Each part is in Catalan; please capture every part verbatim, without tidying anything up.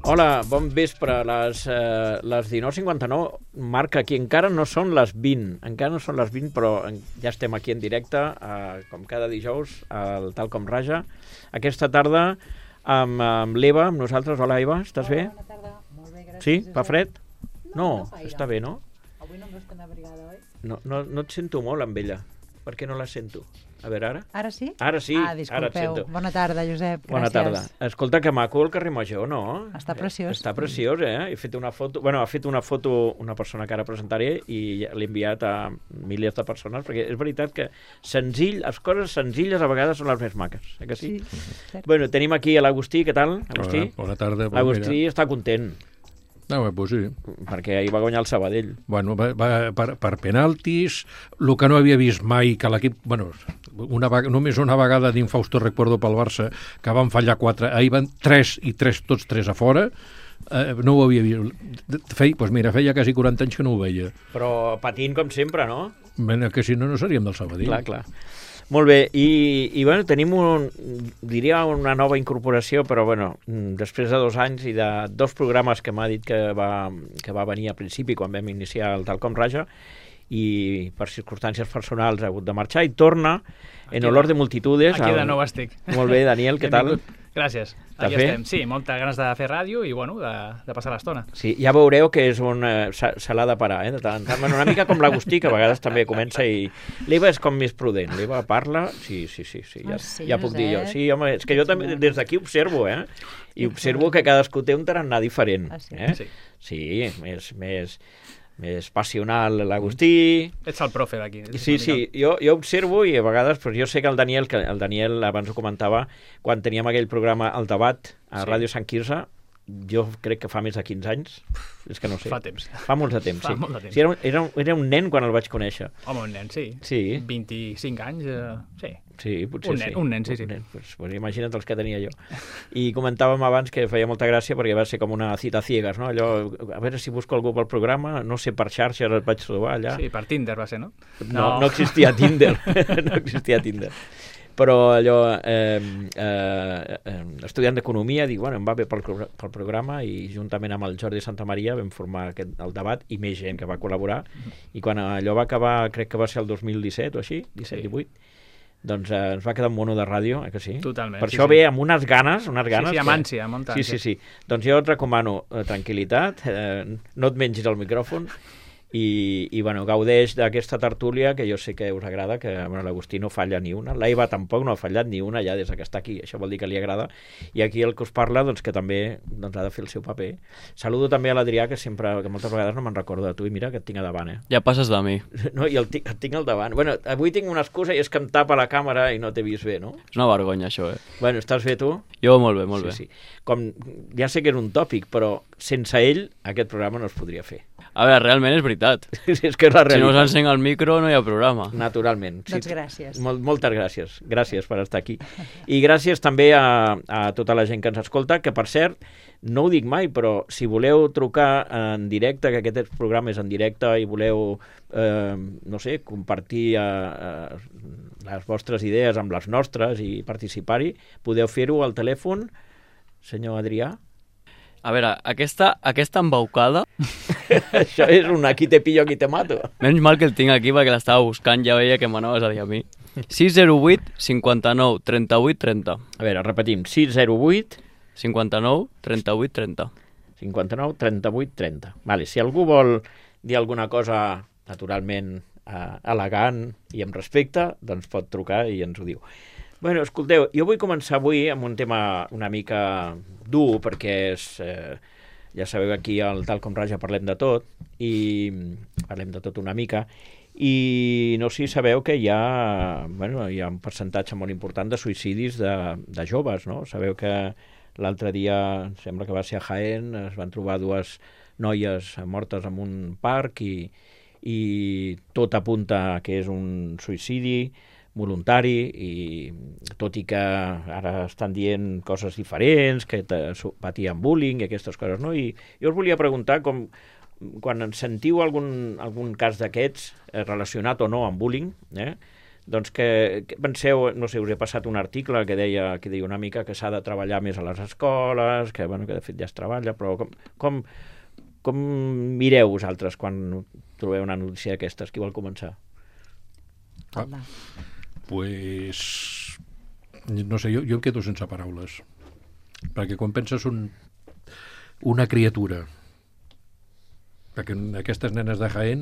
Hola, bon vespre. Les, eh, les dinou cinquanta-nou marca aquí. Encara no són les vint. Encara no són les vint, però ja estem aquí en directe, eh, com cada dijous, al Tal Com Raja. Aquesta tarda amb, amb l'Eva, amb nosaltres. Hola, Eva, estàs bé? Bona tarda. Molt bé, gràcies. Sí? Fa fred? No, No, no està bé, no? Avui no em veus tan abrigada, oi? No, no, no et sento molt amb ella. Per què no la sento? A veure, ara? Ara sí? Ara sí, Ah, ara et disculpeu. sento. Bona tarda, Josep. Gràcies. Bona tarda. Escolta, que maco el carrer Major, no? Està preciós. Està preciós, eh? He fet una foto... Bueno, ha fet una foto una persona que ara presentaré i l'he enviat a milers de persones, perquè és veritat que senzill, les coses senzilles a vegades són les més maques, eh que sí? Sí, cert. Bueno, tenim aquí a l'Agustí, què tal, Agustí? Hola, bona tarda. L'Agustí està content, No, pues sí. perquè ahir va guanyar el Sabadell. Bueno, va, va, per, per penaltis, el que no havia vist mai, que l'equip... Bueno, una, vega- només una vegada d'Infausto recuerdo pel Barça, que van fallar quatre, ahir van tres i tres, tots tres a fora, eh, no ho havia vist. Feia, pues mira, feia quasi quaranta anys que no ho veia. Però patint com sempre, no? Mena que si no, no seríem del Sabadell. Clar, clar. Molt bé, i, i bueno, tenim un, diria una nova incorporació, però bueno, després de dos anys i de dos programes que m'ha dit que va, que va venir al principi quan vam iniciar el Tal Com Raja, i per circumstàncies personals ha hagut de marxar i torna en olor de multitudes. Aquí de al- nou estic. Molt bé, Daniel, què tal? Benvingut. Gràcies. Aquí bé? estem. Sí, moltes ganes de fer ràdio i, bueno, de, de passar l'estona. Sí, ja veureu que és un... eh, se se l'ha de parar, eh, de tant en tant. Bueno, una mica com l'Agustí, que a vegades també comença i... L'Eva és com més prudent. L'Eva parla... Sí, sí, sí, sí, ja, Ah, sí, ja puc dir jo. Josep? Sí, home, és que jo també des d'aquí observo, eh? I observo que cadascú té un tarannà diferent. Ah, sí? Eh? Sí. Sí, més, més, més passional l'Agustí... Ets el profe d'aquí. Sí, sí, jo, jo observo i a vegades, però jo sé que el Daniel, que el Daniel abans ho comentava, quan teníem aquell programa El Debat a Sí. Ràdio Sant Quirze, jo crec que fa més de quinze anys, és que no sé. Fa temps. Fa molt de temps, Fa sí. molt de temps. Sí, era, un- era, un- era un nen quan el vaig conèixer. Home, un nen, sí. Sí. vint-i-cinc anys, eh, sí. Sí, potser Un nen, sí. un nen, sí, sí. Un nen. Pues, pues imagina't els que tenia jo. I comentàvem abans que feia molta gràcia perquè va ser com una cita ciegas, no? Allò, a veure si busco algú pel programa, no sé, per xarxes el vaig trobar allà. Sí, per Tinder va ser, no? No, no existia Tinder. no existia Tinder. Però allò, eh, eh, eh, estudiant d'Economia, dic, bueno, em va bé pel, pro- pel programa i juntament amb el Jordi Santamaria vam formar aquest, el debat i més gent que va col·laborar. I quan allò va acabar, crec que va ser el dos mil disset o així, disset Sí. divuit, doncs eh, ens va quedar un mono de ràdio, eh que sí? Totalment, Per sí, això sí. ve amb unes ganes, unes ganes... sí, amb que- ànsia, amb molta Sí, ànsia. sí, sí. Doncs jo et recomano eh, tranquil·litat, eh, no et mengis el micròfon i, i bueno, gaudeix d'aquesta tertúlia que jo sé que us agrada, que bueno, l'Agustí no falla ni una, l'Eva tampoc no ha fallat ni una ja des que està aquí, això vol dir que li agrada, i aquí el que us parla doncs, que també doncs, ha de fer el seu paper. Saludo també a l'Adrià, que sempre, que moltes vegades no me'n recordo de tu, i mira que et tinc a davant, eh? Ja passes de mi. No, i el, ti- et tinc al davant. Bueno, avui tinc una excusa i és que em tapa la càmera i no t'he vist bé, no? És una vergonya, això, eh? Bueno, estàs bé tu? Jo molt bé, molt sí, bé. Sí. Com, ja sé que és un tòpic, però sense ell aquest programa no es podria fer. A veure, realment és veritat. és que és la Si no realitat. s'encén el micro no hi ha programa. Naturalment. Doncs gràcies. Mol, moltes gràcies. Gràcies per estar aquí. I gràcies també a, a tota la gent que ens escolta, que per cert, no ho dic mai, però si voleu trucar en directe, que aquest programa és en directe, i voleu, eh, no sé, compartir eh, eh, les vostres idees amb les nostres i participar-hi, podeu fer-ho al telèfon, senyor Adrià. A veure, aquesta, aquesta embaucada, Això és un aquí te pillo, aquí te mato. menys mal que el tinc aquí perquè l'estava buscant, ja veia que m'anaves a dir a mi. sis zero vuit cinquanta-nou trenta-vuit trenta. A veure, repetim, sis zero vuit cinquanta-nou trenta-vuit trenta. cinquanta-nou trenta-vuit trenta. Vale, si algú vol dir alguna cosa naturalment eh, elegant i amb respecte, doncs pot trucar i ens ho diu. Bueno, escolteu, jo vull començar avui amb un tema una mica dur, perquè és, eh, ja sabeu que aquí al Tal Com Raja parlem de tot, i parlem de tot una mica, i no sé si sabeu que hi ha, bueno, hi ha un percentatge molt important de suïcidis de, de joves, no? Sabeu que l'altre dia, em sembla que va ser a Jaén, es van trobar dues noies mortes en un parc i, i tot apunta que és un suïcidi voluntari, i tot i que ara estan dient coses diferents, que te- su- patien bullying i aquestes coses, no? I jo us volia preguntar com, quan en sentiu algun, algun cas d'aquests eh, relacionat o no amb bullying, eh? doncs que, que penseu, no sé, us he passat un article que deia, que deia una mica que s'ha de treballar més a les escoles, que, bueno, que de fet ja es treballa, però com, com, com mireu vosaltres quan trobeu una notícia d'aquestes? Qui vol començar? Ah, pues, no sé, jo, jo em quedo sense paraules. Perquè quan penses un, una criatura, perquè aquestes nenes de Jaén,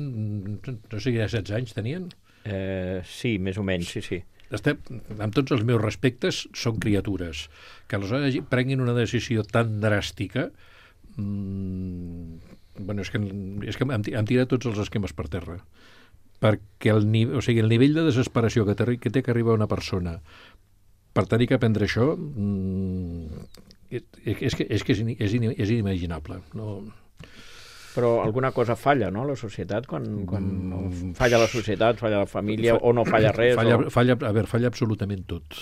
no sé, ja setze anys tenien? Eh, sí, més o menys, sí, sí. Estem, amb tots els meus respectes, són criatures. Que aleshores prenguin una decisió tan dràstica, mmm, bueno, és que, és que em, em tira tots els esquemes per terra. Perquè el, o sigui, el nivell de desesperació que té, que té que arriba una persona per tenir que aprendre això, mmm, és que és, que és, és, és inimaginable. No... Però alguna cosa falla, no?, la societat, quan, quan no falla la societat, falla la família, o no falla res. Falla, o... falla, a veure, falla absolutament tot.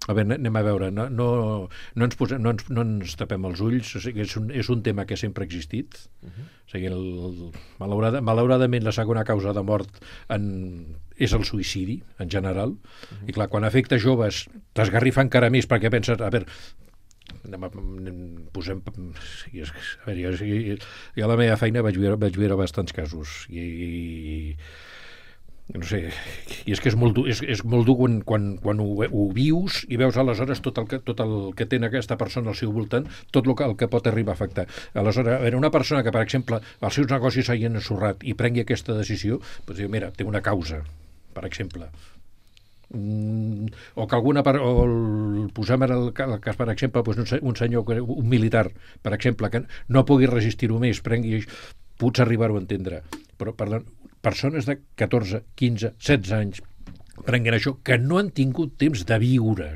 A veure, anem a veure, no, no, no, ens, posem, no, ens, no ens tapem els ulls, o sigui, és, un, és un tema que sempre ha existit. Uh -huh. O sigui, el, el, malaurada, malauradament la segona causa de mort en, és el suïcidi, en general, uh -huh. I clar, quan afecta joves t'esgarrifa encara més perquè penses, a veure, anem a, posem, a veure, jo, jo a la meva feina vaig veure, vaig veure bastants casos i, i no sé, i és que és molt dur, és, és molt dur quan, quan, quan ho, ho vius i veus aleshores tot el, que, tot el que té aquesta persona al seu voltant, tot el que, el que pot arribar a afectar. Aleshores, a veure, una persona que, per exemple, els seus negocis s'hagin ensorrat i prengui aquesta decisió, doncs diu, mira, té una causa, per exemple. Mm, o que alguna part, o el, posem ara el, el cas, per exemple, doncs un, un senyor, un militar, per exemple, que no pugui resistir-ho més, prengui, pots arribar-ho a entendre, però, perdó, persones de catorze, quinze, setze anys prenguin això, que no han tingut temps de viure,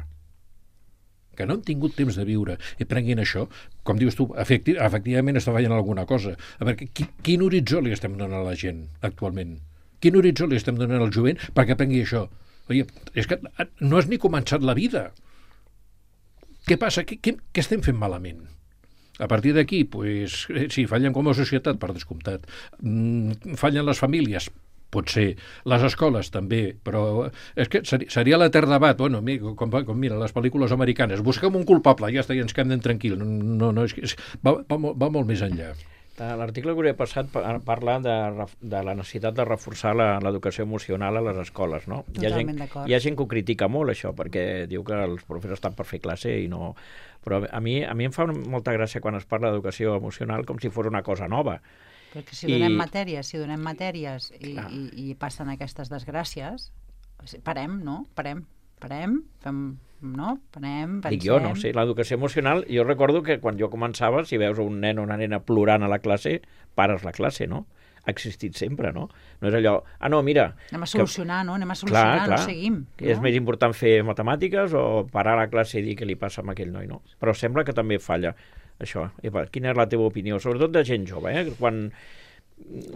que no han tingut temps de viure, i prenguin això, com dius tu, efecti efectivament està veient alguna cosa. A veure, qui, quin horitzó li estem donant a la gent actualment? Quin horitzó li estem donant al jovent perquè prengui això? Oye, és que no has ni començat la vida. Què passa? Què, què, què estem fent malament? A partir d'aquí, pues, sí, fallen com a societat, per descomptat. Mm, fallen les famílies, pot ser. Les escoles, també, però és que seria l'etern debat. Bueno, com, com mira, les pel·lícules americanes, busquem un culpable, ja està, i ens quedem tranquil. No, no, és que és, va, va, va molt més enllà. L'article que us he passat parla de, de la necessitat de reforçar l'educació emocional a les escoles, no? Totalment d'acord. Hi ha gent que ho critica molt, això, perquè diu que els professors estan per fer classe i no... Però a mi, a mi em fa molta gràcia quan es parla d'educació emocional com si fos una cosa nova. Perquè si donem I... matèries, si donem matèries i, i, i passen aquestes desgràcies, parem, no? Parem, parem, fem... no? Panem, pensem... Dic jo, no sé, l'educació emocional, jo recordo que quan jo començava, si veus un nen o una nena plorant a la classe, pares la classe, no? Ha existit sempre, no? No és allò, ah, no, mira... Anem a solucionar, que... no? Anem a solucionar, clar, clar, no seguim. No? És més important fer matemàtiques o parar la classe i dir què li passa amb aquell noi, no? Però sembla que també falla això. Epa, quina és la teva opinió? Sobretot de gent jove, eh? Quan...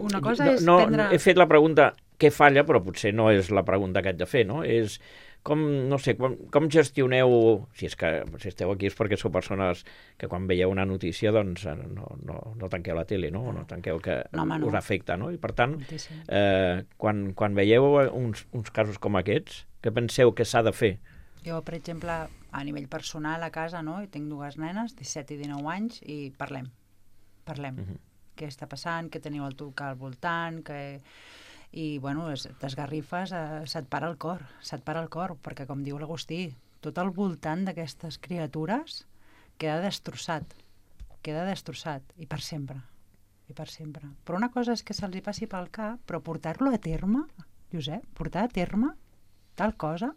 Una cosa no, és no, prendre... He fet la pregunta què falla, però potser no és la pregunta que haig de fer, no? És... Com, no sé, com, com gestioneu, si és que si esteu aquí és perquè sou persones que quan veieu una notícia doncs no, no, no tanqueu la tele, no? No tanqueu que no, home, no. Us afecta, no? I per tant, eh, quan, quan veieu uns, uns casos com aquests, què penseu que s'ha de fer? Jo, per exemple, a nivell personal a casa, no? I tinc dues nenes, disset i dinou anys, i parlem, parlem. Uh-huh. Què està passant, què teniu al tocar al voltant, que... I, bueno, t'esgarrifes, eh, se't para el cor, se't para el cor, perquè, com diu l'Agustí, tot al voltant d'aquestes criatures queda destrossat, queda destrossat, i per sempre, i per sempre. Però una cosa és que se'ls hi passi pel cap, però portar-lo a terme, Josep, portar a terme tal cosa,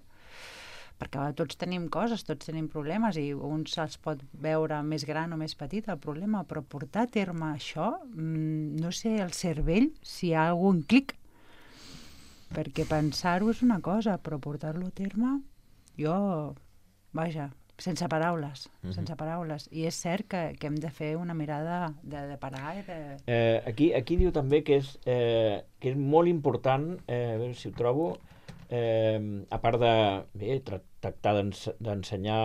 perquè tots tenim coses, tots tenim problemes, i uns se'ls pot veure més gran o més petit el problema, però portar a terme això, no sé, el cervell, si hi ha algun clic, perquè pensar-ho és una cosa, però portar-lo a terme, jo, vaja, sense paraules, uh-huh. sense paraules. I és cert que, que hem de fer una mirada de, de parar i de... Eh, aquí, aquí diu també que és, eh, que és molt important, eh, a veure si ho trobo, eh, a part de bé, tractar d'ensenyar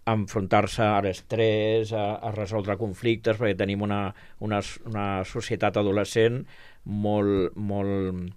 a enfrontar-se a l'estrès, a, a resoldre conflictes, perquè tenim una, una, una societat adolescent molt, molt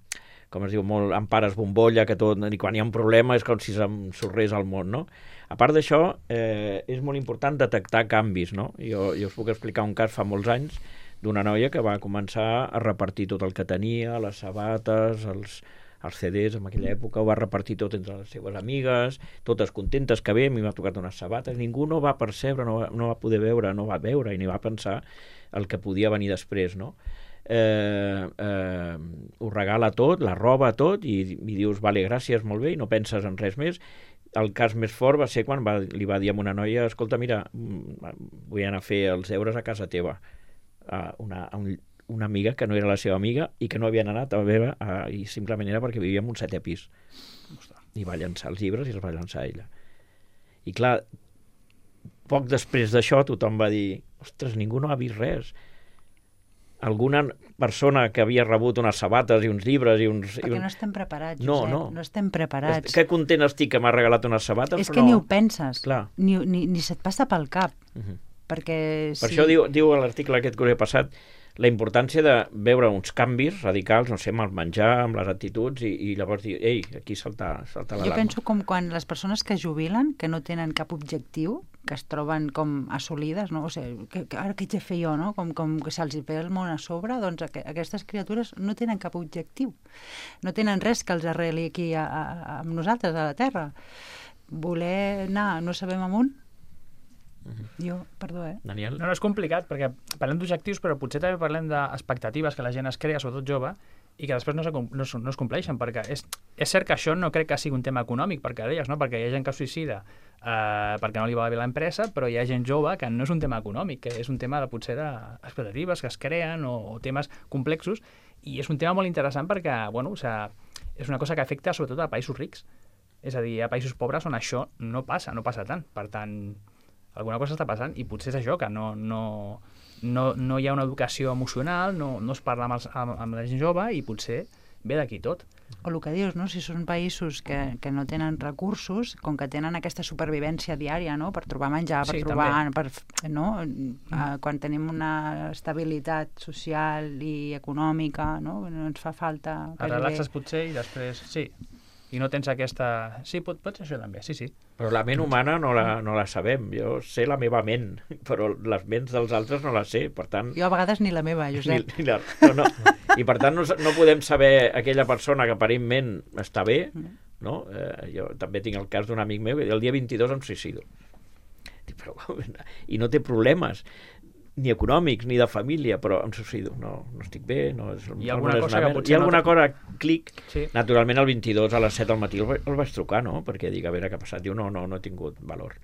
com es diu, molt amb pares bombolla, que tot, i quan hi ha un problema és com si s'ensorrés el món, no? A part d'això, eh, és molt important detectar canvis, no? Jo, jo us puc explicar un cas fa molts anys d'una noia que va començar a repartir tot el que tenia, les sabates, els, els C Ds en aquella època, ho va repartir tot entre les seves amigues, totes contentes que bé, a mi m'ha tocat unes sabates, ningú no va percebre, no va, no va poder veure, no va veure i ni va pensar el que podia venir després, no? Eh, eh, ho regala tot, la roba tot, i, i dius, vale, gràcies, molt bé, i no penses en res més. El cas més fort va ser quan va, li va dir a una noia, escolta, mira, vull anar a fer els deures a casa teva, a una, a un, una amiga que no era la seva amiga i que no havien anat a veure, a, i simplement era perquè vivia en un setè pis. I va llançar els llibres i els va llançar ella. I clar, poc després d'això tothom va dir, ostres, ningú no ha vist res. Alguna persona que havia rebut unes sabates i uns llibres i uns... Perquè i un... no estem preparats, Josep, no, no. no estem preparats. Que content estic que m'ha regalat unes sabates, és però que no... ni ho penses, Clar. ni, ni, ni se't passa pel cap, Uh -huh. perquè... Per si... això diu, diu a l'article aquest que us he passat la importància de veure uns canvis radicals, no sé, amb el menjar, amb les actituds, i, i llavors dir, ei, aquí salta, salta l'alarma. Jo penso com quan les persones que jubilen, que no tenen cap objectiu, que es troben com assolides, no? O sigui, que, que ara què haig de fer jo, no? Com, com que se'ls ve el món a sobre, doncs aqu aquestes criatures no tenen cap objectiu. No tenen res que els arreli aquí a, a, amb nosaltres, a la Terra. Voler anar, no sabem amunt? Jo, perdó, eh? Daniel? No, no, és complicat, perquè parlem d'objectius, però potser també parlem d'expectatives que la gent es crea, sobretot jove, i que després no, se, no, no es compleixen, perquè és, és cert que això no crec que sigui un tema econòmic, perquè deies, no? Perquè hi ha gent que es suïcida eh, perquè no li va bé l'empresa, però hi ha gent jove que no és un tema econòmic, que és un tema de, potser d'expectatives que es creen o, o temes complexos, i és un tema molt interessant perquè, bueno, o sea, és una cosa que afecta sobretot a països rics. És a dir, a països pobres on això no passa, no passa tant. Per tant, alguna cosa està passant i potser és això, que no, no, no, no hi ha una educació emocional, no, no es parla amb, els, amb, amb la gent jove i potser ve d'aquí tot. O el que dius, no? Si són països que, que no tenen recursos, com que tenen aquesta supervivència diària, no? Per trobar menjar, per Sí, trobar... Per, no? Mm. Quan tenim una estabilitat social i econòmica, no? No ens fa falta... Et relaxes potser i després... Sí, i no tens aquesta... Sí, pot, pot ser això també, sí, sí. Però la ment humana no la, no la sabem. Jo sé la meva ment, però les ments dels altres no les sé, per tant... Jo a vegades ni la meva, Josep. Ni, ni la, no, no. I per tant no, no podem saber aquella persona que aparentment està bé, no? Eh, jo també tinc el cas d'un amic meu que el dia vint-i-dos em suïcido. Però, i no té problemes ni econòmics, ni de família, però em suïcido, no, no estic bé, no és, Hi ha alguna no és cosa una que merda. potser Hi ha no alguna te- cosa, clic, Sí. naturalment el vint-i-dos a les set del matí el, va- el vaig trucar, no? Perquè dic, a veure què ha passat. Diu, no, no, no he tingut valor.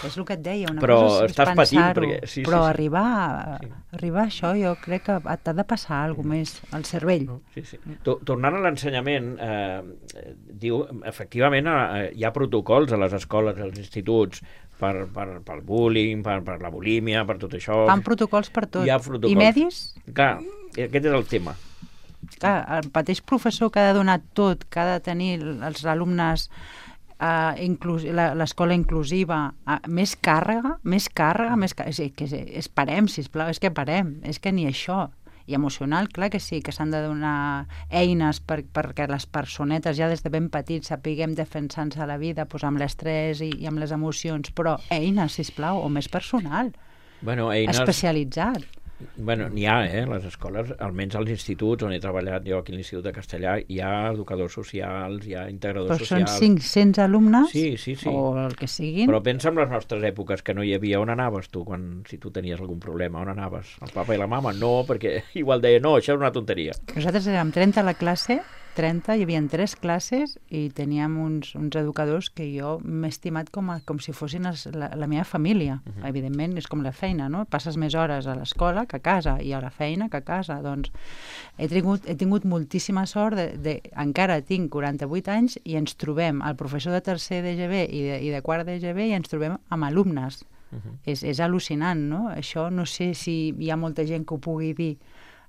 És el que et deia, una Però cosa és, és estàs patint, pensar-ho, perquè- sí, sí, però sí. arribar, a, Sí. arribar a això jo crec que t'ha de passar alguna cosa més al cervell. No? Sí, sí. To- Tornant a l'ensenyament, eh, eh, diu, efectivament, eh, hi ha protocols a les escoles, als instituts, per, per, pel bullying, per, per la bulímia, per tot això. Fan protocols per tot. Hi ha protocols. I medis? Clar, aquest és el tema. Clar, el mateix professor que ha de donar tot, que ha de tenir els alumnes uh, inclus, la- l'escola inclusiva, uh, més càrrega, més càrrega, més càrrega. És, que és, és parem, sisplau, és que parem, és que ni això. I emocional, clar que sí, que s'han de donar eines per, perquè les personetes ja des de ben petits sapiguem defensar-nos a la vida doncs amb l'estrès i, i amb les emocions, però eines, sisplau, o més personal, Bueno, eines... especialitzat. Bueno, n'hi ha, eh, les escoles, almenys als instituts on he treballat jo aquí a l'Institut de Castellà, hi ha educadors socials, hi ha integradors Però són socials... cinc-cents alumnes, Sí, sí, sí. o el que siguin. Però pensa en les nostres èpoques, que no hi havia. On anaves tu, quan, si tu tenies algun problema? On anaves? El papa i la mama? No, perquè igual deia, no, això és una tonteria. Nosaltres érem trenta a la classe, trenta, hi havia tres classes i teníem uns, uns educadors que jo m'he estimat com, a, com si fossin els, la, la meva família. Uh -huh. Evidentment, és com la feina, no? Passes més hores a l'escola que a casa i a la feina que a casa. Doncs he tingut, he tingut moltíssima sort, de, de, encara tinc quaranta-vuit anys i ens trobem, el professor de tercer d'E G B i de, i de quart d'E G B, i ens trobem amb alumnes. Uh -huh. és, és al·lucinant, no? Això no sé si hi ha molta gent que ho pugui dir,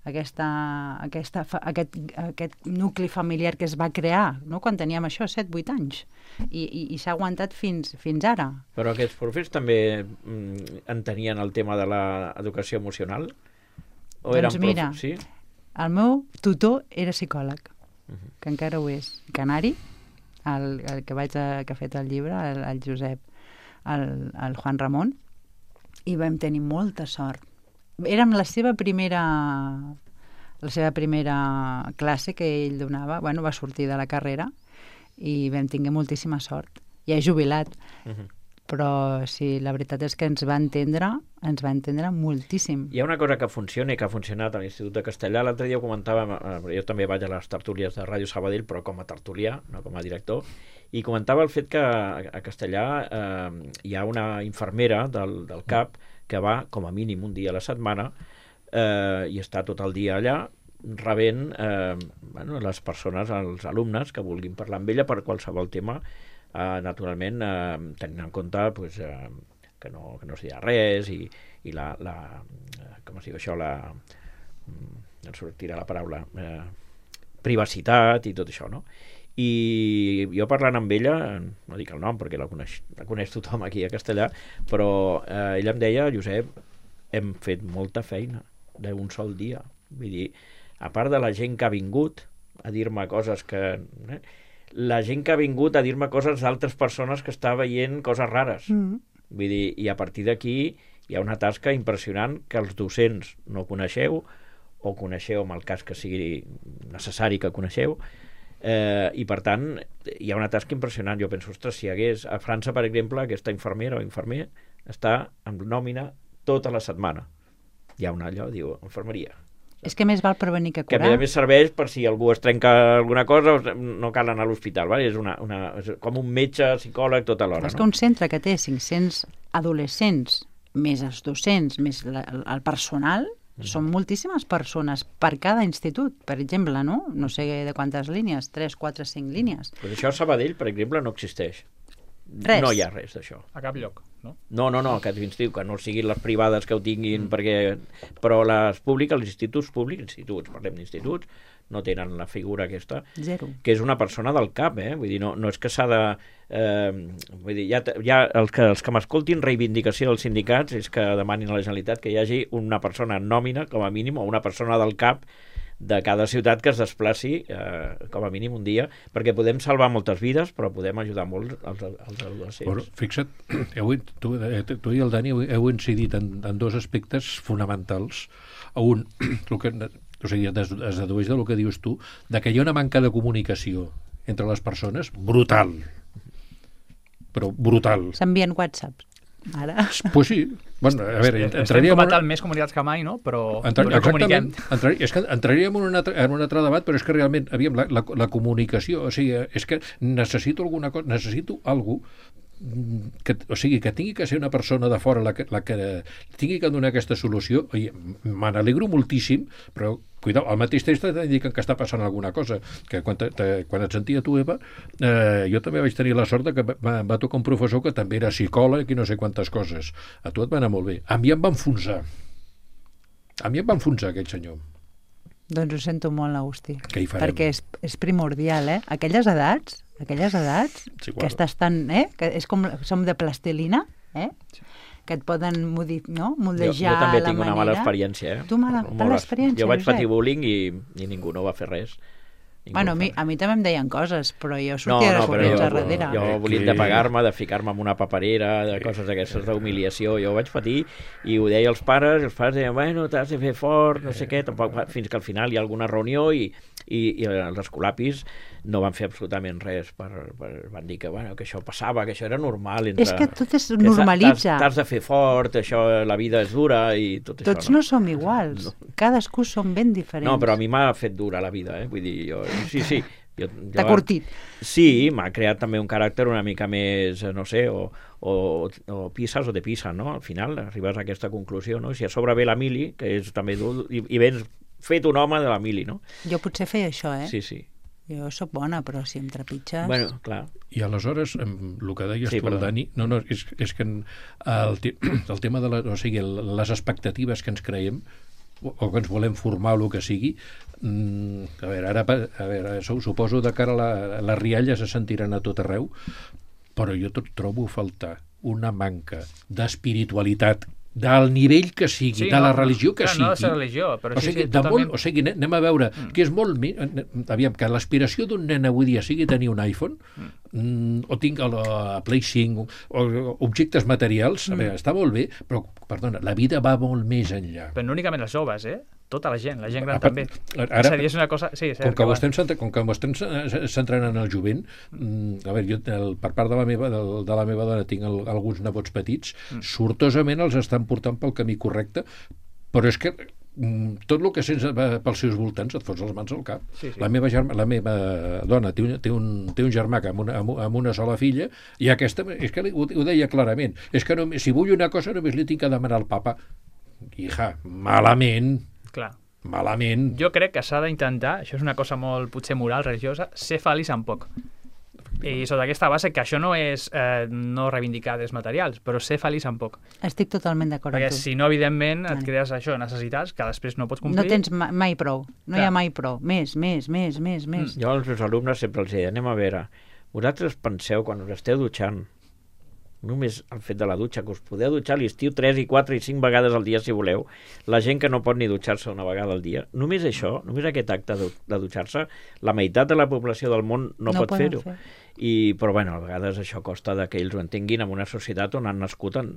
aquesta, aquesta, fa- aquest, aquest nucli familiar que es va crear, no? Quan teníem això, set vuit anys, i, i, i s'ha aguantat fins, fins ara. Però aquests professors també mm, entenien el tema de l'educació emocional? O Doncs eren mira, profe- sí? El meu tutor era psicòleg. que encara ho és. Canari, el, el que, vaig a, que ha fet el llibre, el, el Josep, el, el Juan Ramon, i vam tenir molta sort. Érem la seva primera la seva primera classe que ell donava, bueno, va sortir de la carrera i vam tinguer moltíssima sort. Ja és jubilat, uh-huh. però sí, la veritat és que ens va entendre, ens va entendre moltíssim. Hi ha una cosa que funciona i que ha funcionat a l'Institut de Castellà. L'altre dia ho comentàvem, eh, jo també vaig a les tertúlies de Ràdio Sabadell, però com a tertulià, no com a director, i comentava el fet que a Castellà eh, hi ha una infermera del, del C A P que va com a mínim un dia a la setmana eh, i està tot el dia allà rebent eh, bueno, les persones, els alumnes que vulguin parlar amb ella per qualsevol tema. Uh, naturalment, uh, tenint en compte pues, uh, que, no, que no es dirà res i, i la, la uh, com es diu això, la um, em sortirà la paraula uh, privacitat i tot això, no? I jo parlant amb ella, no dic el nom perquè la coneix, la coneix tothom aquí a Castellà, però uh, ella em deia, Josep, hem fet molta feina d'un sol dia, vull dir, a part de la gent que ha vingut a dir-me coses que... Eh, la gent que ha vingut a dir-me coses d'altres persones que està veient coses rares. Mm. Vull dir, i a partir d'aquí hi ha una tasca impressionant que els docents no coneixeu, o coneixeu en el cas que sigui necessari que coneixeu, eh, i per tant hi ha una tasca impressionant. Jo penso, ostres, si hi hagués a França, per exemple, aquesta infermera o infermer està en nòmina tota la setmana. Hi ha una allò, diu, infermeria. És que més val prevenir que curar. Que a més serveix per si algú es trenca alguna cosa, no cal anar a l'hospital, ¿vale? És, una, una, és com un metge, psicòleg, tota l'hora. És no? que un centre que té cinc-cents adolescents, més els docents, més la, el personal, mm. són moltíssimes persones per cada institut, per exemple, no? No sé de quantes línies, tres, quatre, cinc línies. Pues això a Sabadell, per exemple, no existeix. Res. No hi ha res d'això. A cap lloc, no? No, no, no, aquest institut, que no siguin les privades que ho tinguin, mm. perquè... però les públiques, els instituts públics, instituts, parlem d'instituts, no tenen la figura aquesta, Zero. Que és una persona del C A P, eh? Vull dir, no, no és que s'ha de... Eh, vull dir, ja, ja els que, els que m'escoltin reivindicació dels sindicats és que demanin a la Generalitat que hi hagi una persona en nòmina, com a mínim, o una persona del C A P de cada ciutat que es desplaci eh, com a mínim un dia, perquè podem salvar moltes vides, però podem ajudar molt als, als adolescents. Però, fixa't, heu, tu, tu i el Dani heu, heu incidit en, en dos aspectes fonamentals. Un, el que, o sigui, es, es dedueix del que dius tu, de que hi ha una manca de comunicació entre les persones brutal. Però brutal. S'envien whatsapps. Ara. Pues sí. Bueno, a veure, estem entraríem comentant una... més comunicats que mai, no? Però Entra... no comuniquem. Entrar... És que entraríem en un, altre, en un altre debat, però és que realment, aviam, la, la, la comunicació, o sigui, és que necessito alguna cosa, necessito alguna cosa que, o sigui, que tingui que ser una persona de fora la que, la que tingui que donar aquesta solució. Me n'alegro moltíssim, però cuidao, al mateix temps t'indiquen que està passant alguna cosa, que quan, te, te, quan et sentia tu, Eva, eh, jo també vaig tenir la sort de que va, va tocar un professor que també era psicòleg i no sé quantes coses. A tu et va anar molt bé. A mi em va enfonsar. A mi em va enfonsar aquell senyor. Doncs ho sento molt, Agustí. Què hi farem? Perquè és, és primordial, eh? Aquelles edats, aquelles edats, sí, que estàs tan, eh? Que és com, som de plastilina, eh? Sí. Que et poden modi, no? moldejar jo, jo també la tinc manera. una mala experiència, eh? Tu mala, mala experiència, Jo vaig Josep? patir bullying i, i ningú no va fer res. Ningú Bueno, a mi, a mi també em deien coses, però jo sortia no, no, de corrents jo, a darrere. Jo volien de pagar-me, de ficar-me en una paperera, de coses d'aquestes d'humiliació. Jo ho vaig patir i ho deia als pares, i els pares deien, bueno, t'has de fer fort, no sé què, tampoc, fins que al final hi ha alguna reunió i, i, i els escolapis no van fer absolutament res. Per, per, van dir que, bueno, que això passava, que això era normal. Entre, és que tot es normalitza. T'has de fer fort, això, la vida és dura i tot Tots això. Tots no? no som iguals. No. Cadascú som ben diferents. No, però a mi m'ha fet dura la vida, eh? Vull dir, jo... Sí, sí. T'ha curtit. Sí, m'ha creat també un caràcter una mica més, no sé, o, o, o pises o te pisen, no? Al final arribes a aquesta conclusió, no? Si a sobre ve la mili, que és també dur, i, i vens fet un home de la mili, no? Jo potser feia això, eh? Sí, sí. Jo sóc bona, però si em trepitges... Bueno, clar. I aleshores, el que deies sí, tu, el Dani, no, no, és, és que el, el tema de la, o sigui, les expectatives que ens creiem o que ens volem formar o el que sigui, a veure, ara a veure, suposo de cara a la, les rialles se sentiran a tot arreu, però jo tot trobo a faltar una manca d'espiritualitat del nivell que sigui, Sí, de la no, religió que clar, sigui. no de ser religió, però o sí, sigui, sí, de totalment. molt, o sigui, anem a veure, mm. que és molt... mi- Aviam, que l'aspiració d'un nen avui dia sigui tenir un iPhone, mm. o tinc el, a Play cinc, o, o objectes materials, mm. a veure, està molt bé, però, perdona, la vida va molt més enllà. Però no únicament els joves, eh? Tota la gent, la gent gran Apa- també. ara- és a dir, és una cosa... Sí, és Com cert que, va. ho estem, centra- com que ho estem ce- centrant en el jovent, mm, a veure, jo el, per part de la meva, del, de la meva dona tinc el, alguns nebots petits, mm. sortosament els estan portant pel camí correcte, però és que mm, tot el que sents eh, pels seus voltants et fots les mans al cap. Sí, sí. La, meva germa, la meva dona té un, té un, té un germà que amb una, amb, amb una sola filla, i aquesta, és que ho, ho deia clarament, és que només, si vull una cosa només li tinc que demanar al papa. Hija, malament, Clar. malament. Jo crec que s'ha d'intentar, això és una cosa molt, potser moral, religiosa, ser feliç amb poc. I sota aquesta base, que això no és eh, no reivindicar drets materials, però ser feliç amb poc. Estic totalment d'acord Perquè amb tu. si no, evidentment, et Vale. crees això, necessitats, que després no pots complir. No tens ma- mai prou, no hi Clar. ha mai prou. Més, més, més, més, més. Jo als meus alumnes sempre els deia, anem a veure, vosaltres penseu, quan us esteu dutxant, només el fet de la dutxa, que us podeu dutxar a l'estiu tres i quatre i cinc vegades al dia si voleu, la gent que no pot ni dutxar-se una vegada al dia, només això, només aquest acte de, de dutxar-se, la meitat de la població del món no, No pot poden fer-ho. fer. I, però bueno, a vegades això costa de que ells ho entenguin en una societat on han nascut en,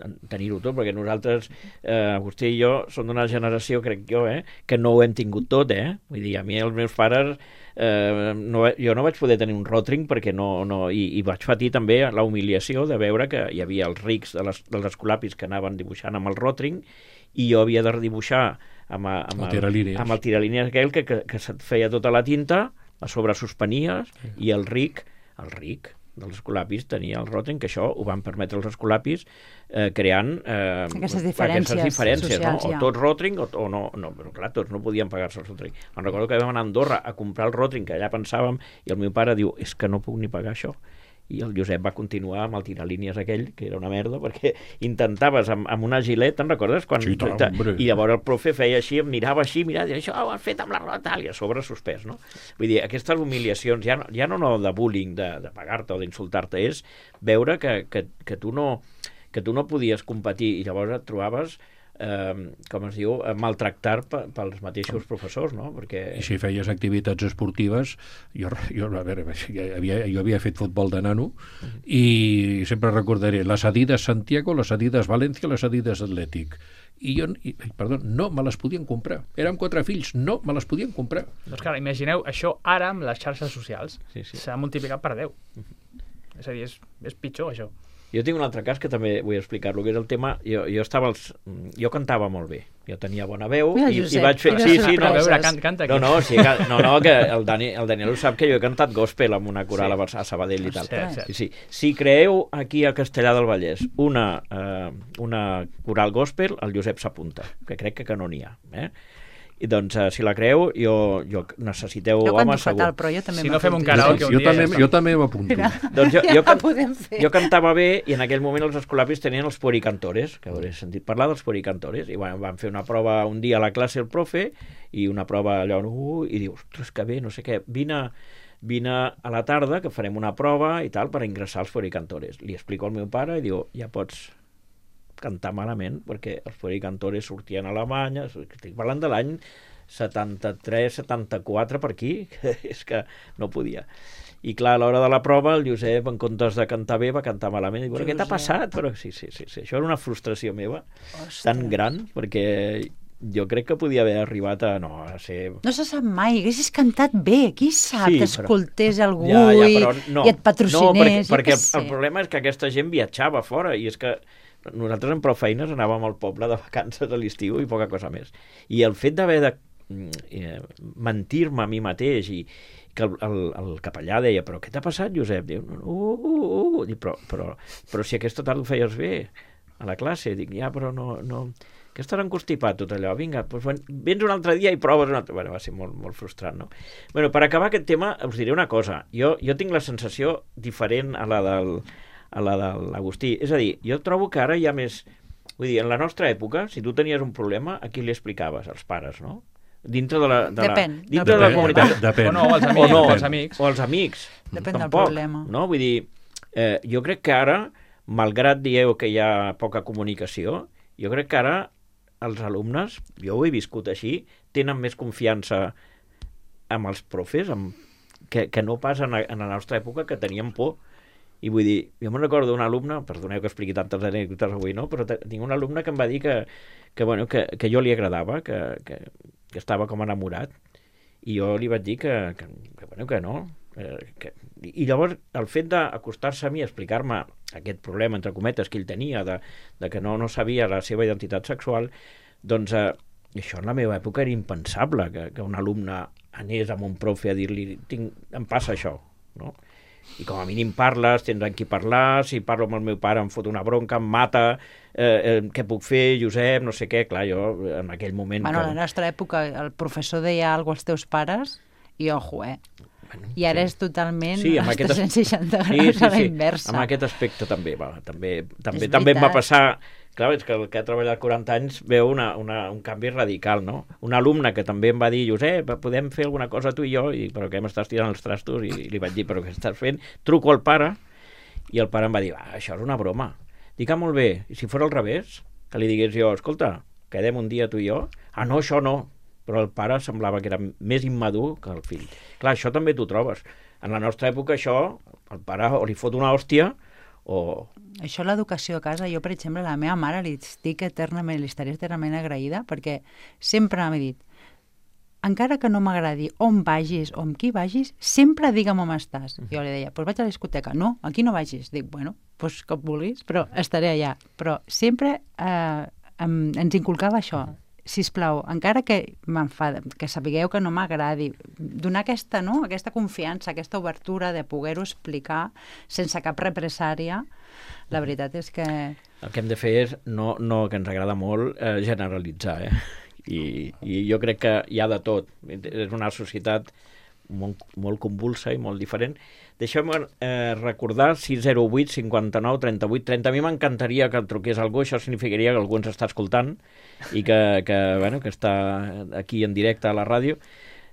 en tenir-ho tot, perquè nosaltres, eh, Agustí i jo, som d'una generació, crec jo, eh, que no ho hem tingut tot, eh? Vull dir, a mi els meus pares eh, no, jo no vaig poder tenir un rotring perquè no, no i, i vaig patir també la humiliació de veure que hi havia els rics de les, dels escolapis que anaven dibuixant amb el rotring i jo havia de redibuixar amb, a- amb, El tiralínies. amb el tiralínies aquell que, que, que se't feia tota la tinta, a sobre suspenies, sí. I el ric, el ric dels escolapis tenia el rotring, que això ho van permetre els escolapis eh, creant eh, Aquestes diferències aquestes diferències, socials, no? ja. O tot rotring o, o no, no, però clar, tots no podien pagar-se el rotring. Me'n recordo que vam anar a Andorra a comprar el rotring, que allà pensàvem, i el meu pare diu, és que no puc ni pagar això. I el Josep va continuar amb el tiralínies aquell, que era una merda, perquè intentaves amb, amb una gilet, te'n recordes? Quan, Sí, tant, hombre. I llavors el profe feia així, em mirava així, mirava, i això ho has fet amb la roda tal, i a sobre suspès, no? Vull dir, aquestes humiliacions, ja no, ja no, no de bullying, de, de pagar-te o d'insultar-te, és veure que, que, que, tu no, que tu no podies competir, i llavors et trobaves eh, com es diu, eh, maltractar pe- pels mateixos professors, no? Perquè... I si feies activitats esportives, jo, jo, a veure, havia, jo havia fet futbol de nano i sempre recordaré les Adidas Santiago, les Adidas València, les Adidas Atlètic. I jo, i, perdó, no me les podien comprar. Érem quatre fills, no me les podien comprar. Doncs clar, imagineu això ara amb les xarxes socials. Sí, sí. S'ha multiplicat per deu. És a dir, és, és pitjor això. Jo tinc un altre cas que també vull explicar-lo, que és el tema... Jo, jo estava als... Jo cantava molt bé. Jo tenia bona veu Mira, i, i Josep, vaig fer... quines Sí, sí, no, A sorpreses. veure, can, canta aquí. no, no, sí, que- no, no, que el, Dani, el Daniel ho sap que jo he cantat gospel amb una coral Sí. a Sabadell i tal. Cert, cert. Sí, sí. Si creeu aquí a Castellà del Vallès una, eh, una coral gospel, el Josep s'apunta, que crec que, que no n'hi ha. Eh? I doncs, eh, si la creeu, jo, jo necessiteu Jo canto homes segur. fatal, però jo també Si no fem un m'apunto. karaoke jo, un jo, dia també, ja està. jo també m'apunto. Mira, Doncs jo, ja jo, can... podem fer. jo cantava bé i en aquell moment els escolapis tenien els puericantores, que hauré sentit parlar dels puericantores, i bueno, van fer una prova un dia a la classe el profe, i una prova allò, uh, i diu, ostres, que bé, no sé què, vine, vine a la tarda que farem una prova i tal per ingressar als puericantores. Li explico al meu pare i diu, ja pots cantar malament, perquè els puericantores sortien a Alemanya, estic parlant de l'any setanta-tres setanta-quatre per aquí, que és que no podia. I clar, a l'hora de la prova, el Josep, en comptes de cantar bé, va cantar malament. I diu, què t'ha Josep. passat? Però sí, sí, sí, sí, això era una frustració meva Ostres. tan gran, perquè jo crec que podia haver arribat a, no, a ser... No se sap mai, haguessis cantat bé, qui sap, Sí, t'escoltés però- algú Ja, ja, i, però no. i et patrocinés, No, perquè, jo perquè què el, sé. el problema és que aquesta gent viatjava fora i és que nosaltres en prou feines anàvem al poble de vacances a l'estiu i poca cosa més. I el fet d'haver de mm, eh, mentir-me a mi mateix i que el, el, el capellà deia, però què t'ha passat, Josep? Diu, uh, uh, uh. Dic, però, però, però si aquesta tarda ho feies bé a la classe. Dic, ja, però no... no... que estarà encostipat tot allò, vinga, doncs vens un altre dia i proves un altre... Bueno, va ser molt, molt frustrant, no? Bueno, per acabar aquest tema, us diré una cosa. Jo, jo tinc la sensació diferent a la del, a la de l'Agustí. És a dir, jo trobo que ara hi ha més... Vull dir, en la nostra època, si tu tenies un problema, a qui li explicaves? Als pares, no? Dintre de la, de Depèn, la, dintre de la depèn. comunitat. Depèn. O no, els O amics, no, o els amics. o els amics. Depèn del Tampoc, problema. No? Vull dir, eh, jo crec que ara, malgrat dieu que hi ha poca comunicació, Jo crec que ara els alumnes, jo ho he viscut així, tenen més confiança amb els profes, amb, que, que no pas en, en la nostra època, que teníem por. I vull dir, jo me'n recordo d'un alumne, perdoneu que expliqui tantes anècdotes avui, no? Però tinc un alumne que em va dir que, que, bueno, que, que jo li agradava, que, que, que estava com enamorat, i jo li vaig dir que, que, que, bueno, que no. Eh, que... I llavors el fet d'acostar-se a mi a explicar-me aquest problema, entre cometes, que ell tenia, de, de que no, no sabia la seva identitat sexual, doncs eh, això en la meva època era impensable, que, que un alumne anés amb un profe a dir-li, em passa això, no? I com a mínim parles, tens amb qui parlar, si parlo amb el meu pare em fot una bronca, em mata, eh, eh, què puc fer, Josep, no sé què, clar, jo en aquell moment... Bueno, que... a la nostra època el professor deia alguna cosa als teus pares i ojo, eh? Bueno, I ara sí. És totalment sí, als tres cents seixanta sí, graus sí, a la sí. inversa. Amb aquest aspecte també, va, també, també, És també em va veritat. passar... Clar, és que el que ha treballat quaranta anys veu una, una, un canvi radical, no? Un alumne que també em va dir, Josep, podem fer alguna cosa tu i jo? I, però què m'estàs tirant els trastos? I li vaig dir, però què estàs fent? Truco al pare, i el pare em va dir, ah, això és una broma. Dic, ah, molt bé, i si fos al revés? Que li digués jo, escolta, quedem un dia tu i jo? Ah, no, això no. Però el pare semblava que era més immadur que el fill. Clar, això també t'ho trobes. En la nostra època això, el pare o li fot una hòstia, o... Això, l'educació a casa, jo, per exemple, a la meva mare li estic eternament, li estaré eternament agraïda, perquè sempre m'ha dit, encara que no m'agradi on vagis o amb qui vagis, sempre digue'm on estàs. Jo li deia, doncs vaig a la discoteca. No, aquí no vagis. Dic, bueno, doncs com vulguis, però estaré allà. Però sempre eh, em, ens inculcava això. Sisplau, encara que m'enfada, que sapigueu que no m'agradi, donar aquesta, no? aquesta confiança, aquesta obertura de poder-ho explicar sense cap represària, la veritat és que... El que hem de fer és, no, no que ens agrada molt, eh, generalitzar, eh? I, I jo crec que hi ha de tot. És una societat molt, molt convulsa i molt diferent. Deixeu-me eh, recordar sis zero vuit cinquanta-nou trenta-vuit trenta. A mi m'encantaria que el truqués algú, això significaria que algú ens està escoltant i que, que, bueno, que està aquí en directe a la ràdio.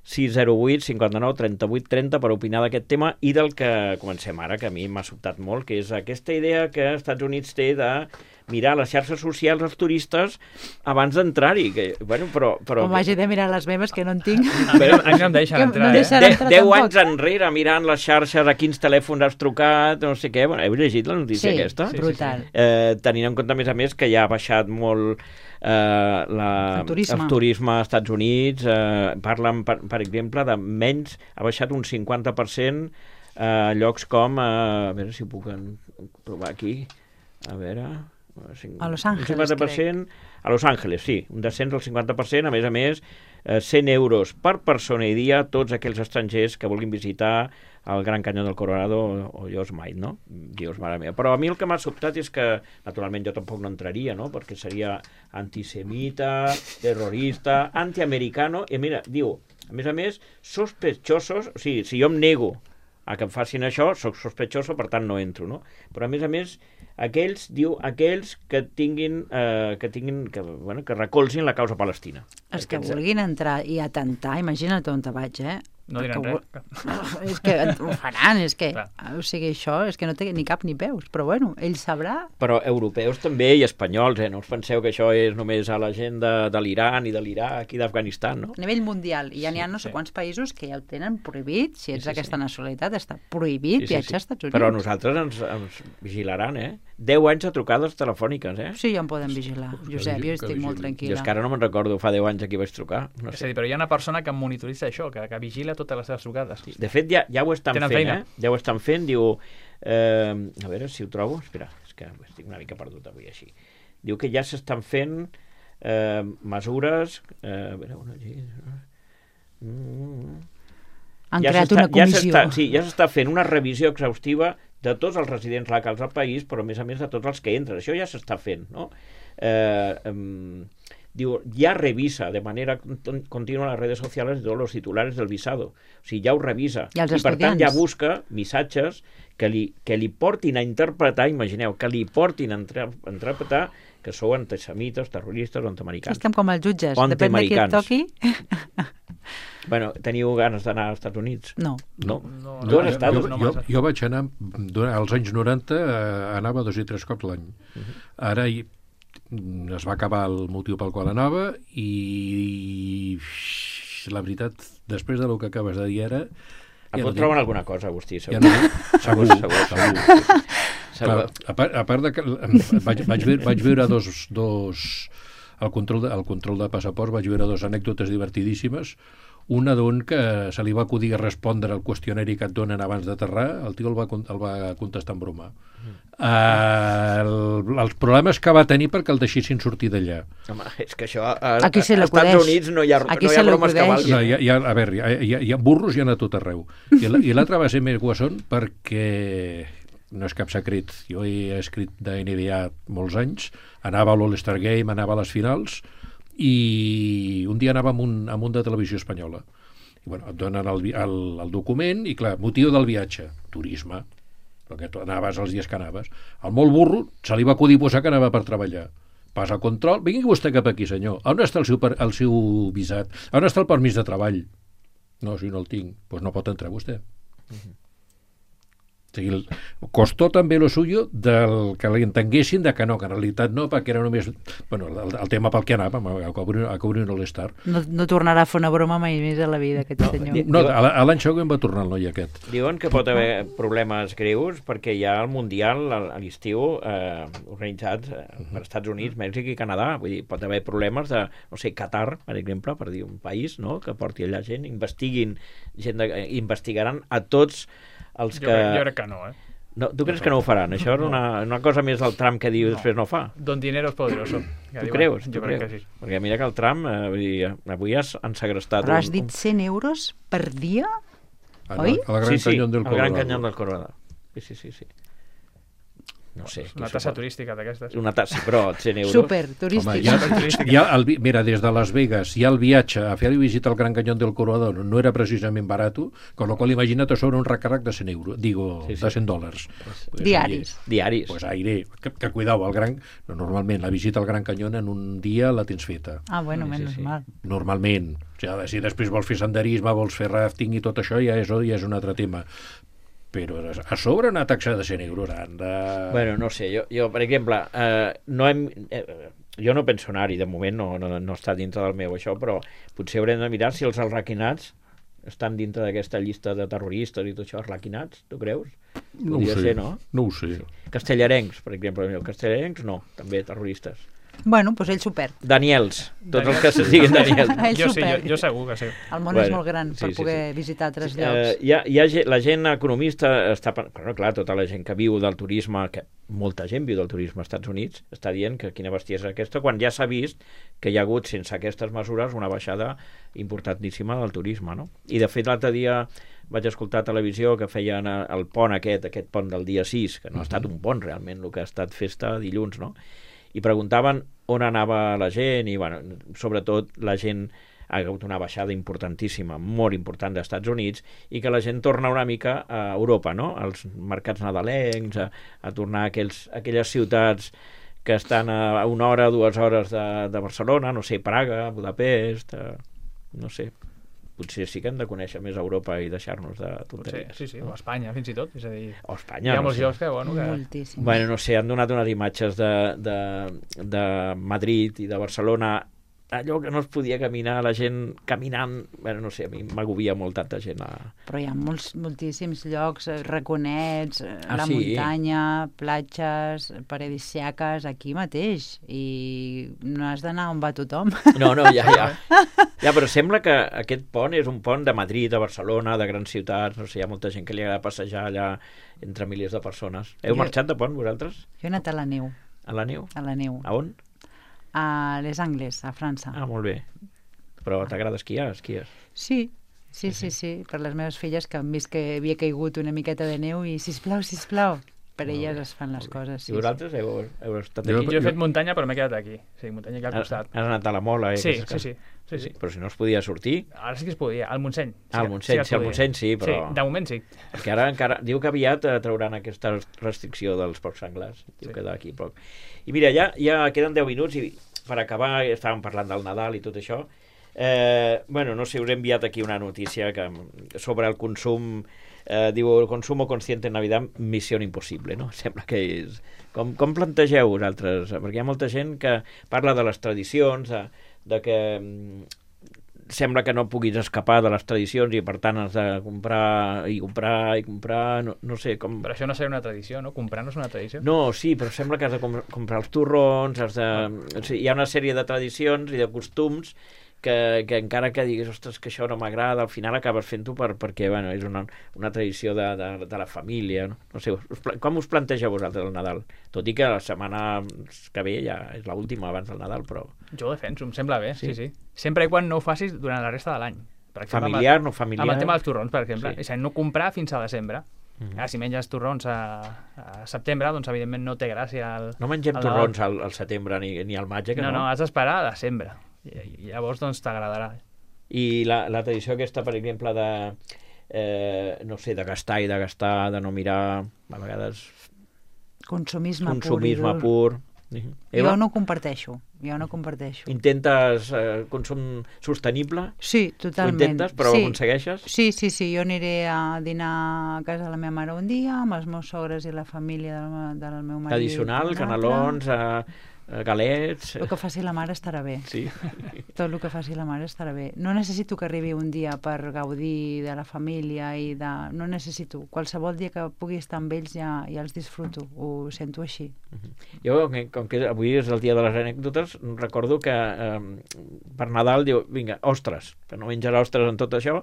sis zero vuit cinquanta-nou trenta-vuit trenta per opinar d'aquest tema i del que comencem ara, que a mi m'ha sobtat molt, que és aquesta idea que els Estats Units té de mirar les xarxes socials als turistes abans d'entrar-hi. Que, bueno, però, però... Com hagi de mirar les meves, que no en tinc. Però a mi no em deixen Que entrar, no eh? deixen De, entrar deu tampoc. anys enrere mirant les xarxes, a quins telèfons has trucat, no sé què. Bueno, heu llegit la notícia Sí, aquesta? sí, brutal. Eh, tenint en compte, a més a més, que ja ha baixat molt eh, la, El turisme. el turisme als Estats Units. Eh, parlen, per, per exemple, de menys, ha baixat un cinquanta per cent a eh, llocs com, eh, a veure si ho puc en, provar aquí, a veure... A Los Ángeles, un cinquanta per cent a Los Ángeles, sí, un descens del cinquanta per cent, a més a més, eh, cent euros per persona i dia, tots aquells estrangers que vulguin visitar el Gran Canyó del Colorado o, o Yosemite, no? Dios, mare meva. Però a mi el que m'ha sobtat és que, naturalment, jo tampoc no entraria, no? Perquè seria antisemita, terrorista, antiamericano, i mira, diu, a més a més, sospechosos, o sigui, si jo em nego a que em facin això, soc sospechoso, per tant no entro, no? Però a més a més, aquells, diu, aquells que tinguin, eh, que tinguin, que, bueno, que recolzin la causa palestina. Els que Aquests, vulguin entrar i atentar, imagina't on te vaig, eh? No diran Que res. vol- És que ho faran, és que... Clar. O sigui, això és que no té ni cap ni peus, però bueno, ell sabrà. Però europeus també i espanyols, eh? No us penseu que això és només a la gent de, de l'Iran i de l'Iraq i d'Afganistan, no? A nivell mundial, i ja n'hi ha no sé sí. quants països que ja ho tenen prohibit, si ets Sí, sí, d'aquesta sí. nacionalitat, està prohibit viatjar als Estats Units. Però a nosaltres ens, ens vigilaran, eh? Deu anys a trucades telefòniques, eh? Sí, ja em poden vigilar, Josep, jo que estic molt vigili. Jo és tranquil·la. que ara no me'n recordo, fa deu anys a qui vaig trucar. No És a sé. dir, però hi ha una persona que monitoritza això, que, que vigila totes les seves trucades. De fet, ja, ja ho estan Tenen fent, feina. eh? Ja ho estan fent, diu... Eh, a veure si ho trobo. Espera, és que estic una mica perdut avui així. Diu que ja s'estan fent eh, mesures... Eh, a veure, una llei... Mm, Han ja creat s'està- una comissió. Ja s'està, sí, ja s'està fent una revisió exhaustiva de tots els residents locals al país, però a més a més de tots els que entren. Això ja s'està fent, no? Eh, em, diu, ya revisa de manera cont- continua las redes sociales de todos los titulares del visado. O sigui, ja ho revisa. I els I per tant estudiants. ja busca missatges que li, que li portin a interpretar, imagineu, que li portin a entre- a interpretar que sou antisemites, terroristes o antiamericans. Estem com els jutges, O depèn de qui et antiamericans. toqui. Bueno, teniu ganes d'anar als Estats Units? No. No. No, Tu has estat? jo, no jo, massa. jo vaig anar, durant els anys noranta, eh, anava dos i tres cops l'any. Ara hi, es va acabar el motiu pel qual anava i la veritat, després del que acabes de dir ara... Et ja pot no trobar tinc- alguna cosa, Agustí, segur. Ja no, segur, Segur, segur. segur. Clar, a, part, a part de que vaig, vaig, veure, vaig veure dos, dos el, control de, el control de passaports, vaig veure dos anècdotes divertidíssimes. Una d'un que se li va acudir a respondre al qüestionari que et donen abans d'aterrar, el tio el va, con- el va contestar en broma. Mm. Uh, el, els problemes que va tenir perquè el deixessin sortir d'allà. Home, és que això... A, Aquí se als l'acudeix. Estats Units no hi ha, Aquí no hi se ha bromes que l'acudeix. valguin. No, hi ha, hi ha, a veure, hi ha, hi ha, hi ha burros i ha anat tot arreu. I la- i l'altre va ser més guassón perquè no és cap secret, jo he escrit de N B A molts anys, anava a l'All-Star Game, anava a les finals, i un dia anava amb un, amb un de televisió espanyola. I bueno, et donen el, vi- el, el document i clar, motiu del viatge, turisme, perquè tu anaves els dies que anaves. Al molt burro se li va acudir posar que anava per treballar. Passa control, vingui vostè cap aquí, senyor. On està el seu, per- el seu visat? On està el permís de treball? No, si no el tinc, doncs no pot entrar vostè. Mhm. O sigui, el- costó també lo suyo del que l'entenguessin de que no, que en realitat no, perquè era només bueno, el, el tema pel que anàvem, a cobrir, a cobrir un All-Star. No, no tornarà a fer una broma mai més a la vida, aquest No, senyor. di- No, a la- a l'any següent va tornar el noi aquest. Diuen que pot haver problemes greus perquè hi ha el Mundial a a l'estiu eh, organitzat eh, per Estats Units, Mèxic i Canadà. Vull dir, pot haver problemes de, no sé, Qatar, per exemple, per dir un país, no?, que porti allà gent, investiguin, gent de, eh, investigaran a tots els Jo, que... crec, jo crec que no, eh? No, tu creus que no ho faran? Això és una, una cosa més del Trump que diu i després no fa? Don dinero es poderoso. que Tu diuen. creus? Jo Tu crec creus? que sí. Perquè mira que el Trump, eh, vull dir, avui has, han segrestat... Però has un- dit cent euros per dia? A, Oi? a la Gran sí, sí, Canyón del el Gran Colorado. Canyón del Colorado. Sí, sí, sí, sí. No sé. Una què tassa suposa. turística d'aquestes. Una tassa, però cent euros... Super, Home, turístic. ja, turística. ja el, vi- mira, des de Las Vegas ja el viatge a fer visita al Gran Canyón del Colorado no era precisament barat, con lo qual imagina't a sobre un recàrrec de cent euros, digo, Sí, sí. de cent dòlars. Pues, Diaris. oye, Diaris. Pues aire, que, que cuidao, el gran, no, normalment la visita al Gran Canyón en un dia la tens feta. Ah, bueno, Sí, sí, menys sí. mal. Normalment. O sigui, si després vols fer senderisme, vols fer rafting i tot això, ja és, ja és un altre tema. Però a sobre una taxa de cent euros han de... Bueno, no sé, jo, jo per exemple, eh, no hem, eh, jo no penso anar-hi, de moment no, no, no està dintre del meu això, però potser haurem de mirar si els arlequinats estan dintre d'aquesta llista de terroristes i tot això, arlequinats, tu creus? No ho Podria sé, ser, no? no ho sé. Castellarencs, per exemple, els castellarencs no, també terroristes. Bueno, doncs ell s'ho perd. Daniels, tots els que Daniels. se diguin Daniels. Ell Jo s'ho sí, jo, perd. jo segur que sí. El món Bueno, és molt gran sí, per sí, poder sí. visitar altres Eh, llocs. hi ha, hi ha, ge- la gent economista està... pen- Però clar, tota la gent que viu del turisme, que molta gent viu del turisme als Estats Units, està dient que quina bestiesa és aquesta, quan ja s'ha vist que hi ha hagut, sense aquestes mesures, una baixada importantíssima del turisme, no? I de fet l'altre dia vaig escoltar a televisió que feien eh, el pont aquest, aquest pont del dia sis, que no ha estat un pont realment, el que ha estat festa dilluns, no? I preguntaven on anava la gent i, bueno, sobretot la gent ha hagut una baixada importantíssima, molt important dels Estats Units, i que la gent torna una mica a Europa, no? Als mercats nadalencs, a, a tornar a, aquells, a aquelles ciutats que estan a una hora, dues hores de, de Barcelona, no sé, Praga, Budapest, eh, no sé. Potser sí que hem de conèixer més Europa i deixar-nos de Potser, tonteries. sí, sí, o Espanya, fins i tot. És a dir, O hi Espanya, ha no molts sé. llocs que, bueno, que... Moltíssim. Bueno, no sé, han donat unes imatges de, de, de Madrid i de Barcelona, allò que no es podia caminar, la gent caminant, bueno, no sé, a mi m'agovia molt tanta gent. A... Però hi ha molts, moltíssims llocs, eh, raconets, eh, Ah, la sí? muntanya, platges, paradisíaques, aquí mateix. I no has d'anar on va tothom. No, no, ja, ja. Ja, però sembla que aquest pont és un pont de Madrid, de Barcelona, de grans ciutats, no sé, hi ha molta gent que li agrada passejar allà entre milers de persones. Heu Jo- marxat de pont, vosaltres? Jo he anat a la neu, A la neu? a la neu, A on? a Les Angles, a França. Ah, molt bé. Però t'agrada esquiar, esquies? Sí, sí, sí, sí, per les meves filles que han vist que havia caigut una miqueta de neu i sisplau, sisplau, per Molt elles bé, es fan les coses. Sí, I vosaltres heu, heu estat Jo- aquí? Jo he fet muntanya, però m'he quedat aquí. Sí, muntanya aquí al Has, costat. has anat a la Mola? Eh, Sí, aquestes sí, coses? sí. sí, sí. Però si no es podia sortir, Ara sí que es podia, al Montseny. Ah, al Montseny, es sí, al podia. Montseny sí, però- Sí, de moment sí. perquè ara encara diu que aviat eh, trauran aquesta restricció dels porcs senglars. Diu Sí. que d'aquí a poc. I mira, ja, ja queden deu minuts i per acabar, estàvem parlant del Nadal i tot això. Eh, bueno, no sé, us he enviat aquí una notícia que, sobre el consum eh, diu, el consumo consciente en Navidad, missió impossible, no? Sembla que és... Com, com plantegeu vosaltres? Perquè hi ha molta gent que parla de les tradicions, de, de que sembla que no puguis escapar de les tradicions i per tant has de comprar i comprar i comprar, no, no sé com... Però això no seria una tradició, no? Comprar no és una tradició? No, sí, però sembla que has de com comprar els torrons, has de... O sigui, hi ha una sèrie de tradicions i de costums que, que encara que diguis, ostres, que això no m'agrada, al final acabes fent-ho per, perquè bueno, és una, una tradició de, de, de la família. No, no sé, us, com us plantegeu vosaltres el Nadal? Tot i que la setmana que ve ja és l'última abans del Nadal, però... Jo ho defenso, em sembla bé, sí, sí. sí. Sempre i quan no ho facis durant la resta de l'any. Familiar, amb, no familiar? Amb el tema dels torrons, per exemple. Sí. És a dir, no comprar fins a desembre. Mm-hmm. Ah, si menges torrons a, a setembre, doncs evidentment no té gràcia. El, no mengem el torrons al, al setembre ni, ni al maig, eh, que no? No, no, has d'esperar a desembre. I, i llavors doncs t'agradarà. I la, la tradició aquesta, per exemple, de eh, no sé, de gastar i de gastar, de no mirar a vegades consumisme, consumisme pur, pur. Jo no ho comparteixo, jo no comparteixo. Intentes eh, consum sostenible? Sí, totalment. Ho intentes, però sí. ho aconsegueixes? Sí, sí, sí, jo aniré a dinar a casa de la meva mare un dia, amb els meus sogres i la família del, del meu marit. Tradicional, canelons, eh, galets... El que faci la mare estarà bé. Sí. Tot el que faci la mare estarà bé. No necessito que arribi un dia per gaudir de la família i de... No necessito. Qualsevol dia que pugui estar amb ells ja, ja els disfruto. Ho sento així. Uh-huh. Jo, com que avui és el dia de les anècdotes, recordo que eh, per Nadal diu, vinga, ostres, que no menjarà ostres en tot això,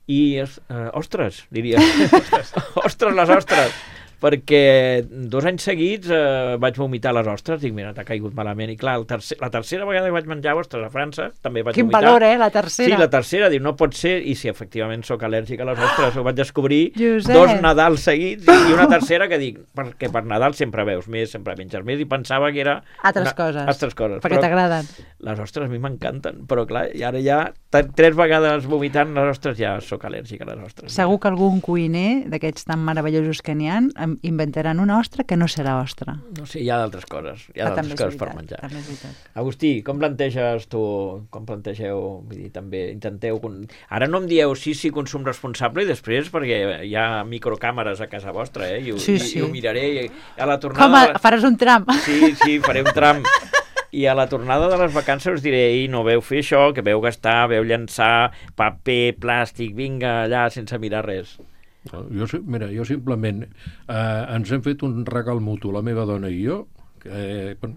i eh, ostres, diria. ostres. ostres, les ostres. Perquè dos anys seguits eh, vaig vomitar les ostres, dic, mira, t'ha caigut malament, i clar, el tercer, la tercera vegada que vaig menjar ostres a França, també vaig Quin vomitar. Quin valor, eh, la tercera. Sí, la tercera, diu, no pot ser, i si efectivament sóc al·lèrgic a les ostres, ho vaig descobrir Josep. dos Nadals seguits, i una tercera que dic, perquè per Nadal sempre veus més, sempre menges més, i pensava que era... Altres una, coses. Altres coses. Perquè t'agraden. Les ostres a mi m'encanten, però clar, i ara ja tres vegades vomitant les ostres ja sóc al·lèrgic a les ostres. Segur que algun cuiner d'aquests tan meravellosos que n'hi ha inventaran una ostra que no serà ostra. No sé, hi ha d'altres coses, hi ha ah, d'altres coses veritat, per menjar. També és veritat. Agustí, com planteges tu, com plantegeu, vull dir, també intenteu... Ara no em dieu sí, sí, consum responsable i després, perquè hi ha microcàmeres a casa vostra, eh? I, sí, i, sí. i ho miraré i a la tornada... Com, a, faràs un tram? Sí, sí, faré un tram. I a la tornada de les vacances us diré, ei, no veu fer això, que veu gastar, veu llançar paper, plàstic, vinga, allà, sense mirar res. Jo, mira, jo simplement eh, ens hem fet un regal mutu, la meva dona i jo, que eh, bueno,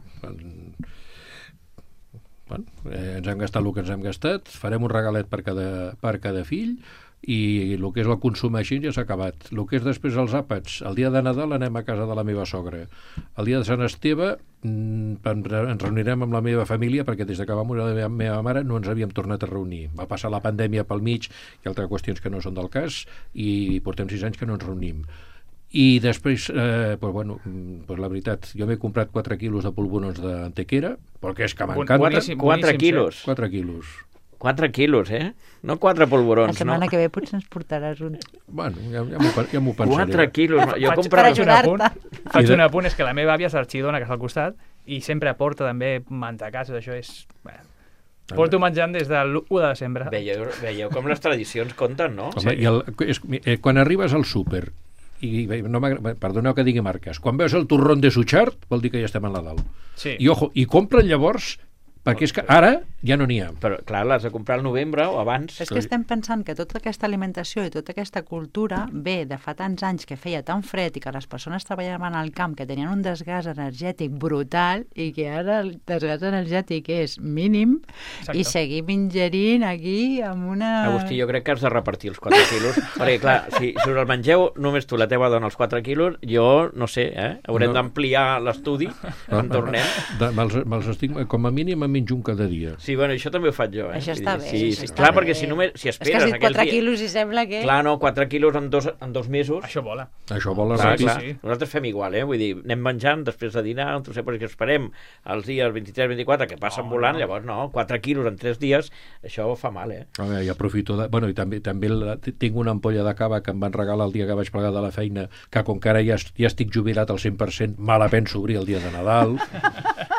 bueno, eh, ens hem gastat el que ens hem gastat, farem un regalet per cada, per cada fill i el que és el consum així ja s'ha acabat. El que és després els àpats, el dia de Nadal anem a casa de la meva sogra. El dia de Sant Esteve mm, ens reunirem amb la meva família perquè des que va morir la meva, meva mare no ens havíem tornat a reunir. Va passar la pandèmia pel mig i altres qüestions que no són del cas i portem sis anys que no ens reunim. I després, eh, pues bueno, pues la veritat, jo m'he comprat quatre quilos de polvorons d'Antequera perquè és que m'encanten. quatre quilos? quatre quilos. quatre quilos, eh? No quatre polvorons, no? La setmana no? que ve potser ens portaràs un... Bueno, ja, ja m'ho ja pensaré. quatre quilos. Jo faig, comprava... per ajudar-te. Faig un apunt, és que la meva àvia és arxidona, que és al costat, i sempre aporta també mantecassos, això és... Bé, porto menjant des de l'u de desembre. Veieu, veieu com les tradicions compten, no? Home, sí. i el, és, eh, quan arribes al súper i no perdoneu que digui marques, quan veus el torrón de Suchard vol dir que ja estem a Nadal. Sí. I ojo, i compren llavors perquè és que ara ja no n'hi ha. Però clar, l'has de comprar al novembre o abans. És que estem pensant que tota aquesta alimentació i tota aquesta cultura ve de fa tants anys que feia tan fred i que les persones treballaven al camp que tenien un desgast energètic brutal i que ara el desgast energètic és mínim. Exacte. I seguim ingerint aquí amb una... Agustí, jo crec que has de repartir els quatre quilos perquè clar, si, si us el mengeu només tu la teva dona els quatre quilos, jo no sé, eh? Haurem no. d'ampliar l'estudi quan tornem. Me'ls me estic, com a mínim a menjo un cada dia. Sí, bueno, això també ho faig jo. Eh? Això està bé. Sí, això sí. Està Clar, bé. perquè si només si esperes... És que has dit quatre dia... quilos i sembla que... Clar, no, quatre quilos en dos, en dos mesos... Això vola. Això vola. Clar, Sí, clar. sí. Nosaltres fem igual, eh? Vull dir, anem menjant després de dinar, no sé, perquè esperem els dies vint-i-tres vint-i-quatre que passen no, volant, no. llavors no, quatre quilos en tres dies, això fa mal, eh? A veure, i aprofito de... Bueno, i també, també la... tinc una ampolla de cava que em van regalar el dia que vaig plegar de la feina, que com que ara ja, ja estic jubilat al cent per cent, me la penso obrir el dia de Nadal.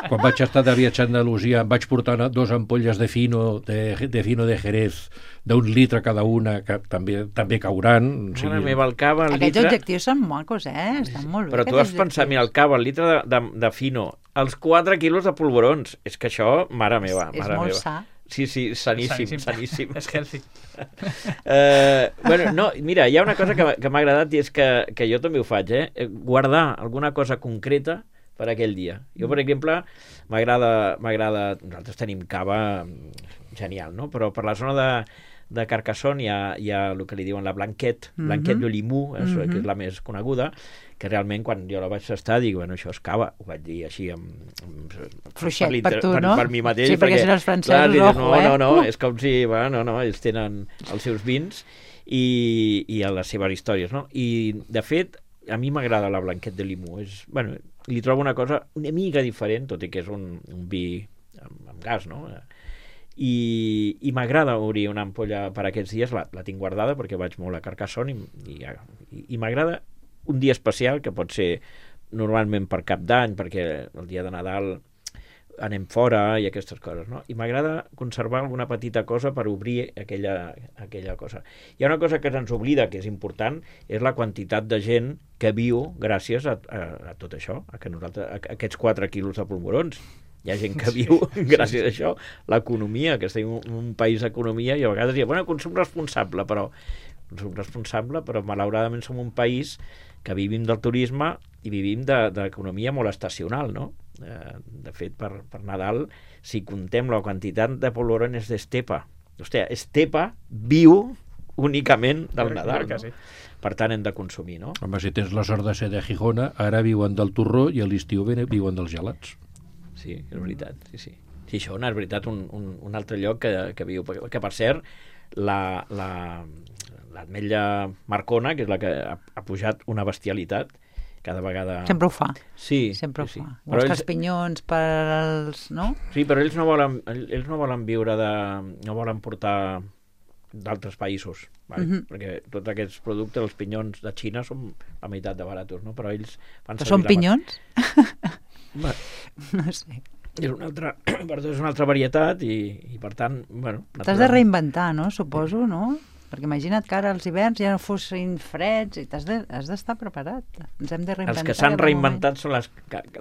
quan vaig estar de viatge a Andalusia em vaig portar dos ampolles de fino de, de fino de Jerez d'un litre cada una, que també també cauran. O sigui... Mare meva, el cava, el Aquests litre... objectius són macos, eh? Estan molt bé. Però tu has pensat, mira, el cava, el litre de, de, de fino, els quatre quilos de polvorons. És que això, mare meva, És, és mare molt meva. sa. Sí, sí, saníssim, saníssim. És healthy. Uh, bueno, no, mira, hi ha una cosa que, m'ha- que m'ha agradat i és que, que jo també ho faig, eh? Guardar alguna cosa concreta per aquell dia. Jo, per exemple, m'agrada... m'agrada nosaltres tenim cava genial, no? Però per la zona de, de Carcassonne hi ha, hi ha el que li diuen la Blanquette, Mhm. Blanquette de Limoux, eh, Mhm. que és la més coneguda, que realment quan jo la vaig tastar dic, bueno, això és cava, ho vaig dir així amb, amb Fluixet l'inter- per tu, per, no? per mi mateix, Sí, perquè si no els francesos, clar, dius, ojo, no, eh? no, no, Uh! és com si, bueno, no, no, ells tenen els seus vins i, i les seves històries, no? I, de fet, a mi m'agrada la Blanquette de Limoux, és, bueno, li trobo una cosa una mica diferent, tot i que és un, un vi amb, amb gas, no? I, i m'agrada obrir una ampolla per aquests dies, la, la tinc guardada perquè vaig molt a Carcassonne i, i, i, i m'agrada un dia especial que pot ser normalment per Cap d'Any, perquè el dia de Nadal anem fora i aquestes coses, no? I m'agrada conservar alguna petita cosa per obrir aquella, aquella cosa. Hi ha una cosa que ens oblida, que és important, és la quantitat de gent que viu gràcies a, a, a tot això, a, que nosaltres, a, a aquests quatre quilos de polvorons. Hi ha gent que viu gràcies a això, l'economia, que estem en un país d'economia i a vegades diuen, bueno, consum responsable, però consum responsable, però malauradament som un país que vivim del turisme i vivim de- d'economia molt estacional, no? Eh, de fet, per, per Nadal, si contem la quantitat de polvorones d'estepa, hòstia, estepa viu únicament del Jo crec- Nadal, jo crec que no? sí. Per tant, hem de consumir, no? Home, si tens la sort de ser de Gijona, ara viuen del torró i a l'estiu ven- viuen dels gelats. Sí, és veritat, sí, sí. Xixona, és veritat, un, un, un altre lloc que, que viu, que, que per cert, la, la, l'ametlla Marcona, que és la que ha, ha pujat una bestialitat, cada vegada... Sempre ho fa. Sí, Sempre ho sí, sí. fa. Però Els ells, caspinyons per als... No? sí, però ells no volen, ells no volen viure de... no volen portar d'altres països, vale? Mhm. Perquè tots aquests productes, els pinyons de Xina, són la meitat de baratos, no? Però ells fan Però són servir la- pinyons? Bueno, No sé. és una altra, perdó, és una altra varietat i, i per tant, bueno... T'has de naturalment- reinventar, no? Suposo, no? Perquè imagina't que ara els hiverns ja no fossin freds i t'has de, has d'estar preparat. Ens hem de reinventar. Els que s'han cada reinventat són les,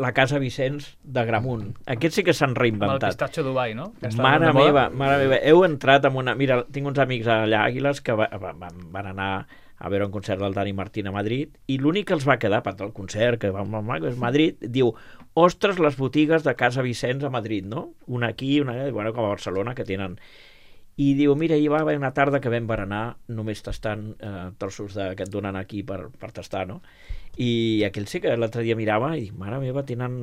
la Casa Vicenç de Gramunt. Aquests sí que s'han Amb el reinventat. pistatxo Dubai, no? Que està Mare de moda. meva, mare meva. Heu entrat en una... Mira, tinc uns amics allà a Àguiles que va, va, van, van anar a veure un concert del Dani Martín a Madrid i l'únic que els va quedar, a part del concert, que va molt maco, és Madrid, diu, ostres, les botigues de Casa Vicenç a Madrid, no? Una aquí, una allà, bueno, com a Barcelona, que tenen... I diu, mira, hi va haver una tarda que vam berenar només tastant eh, trossos de, que et donen aquí per, per tastar, no? I aquell sí que l'altre dia mirava i dic, mare meva, tenen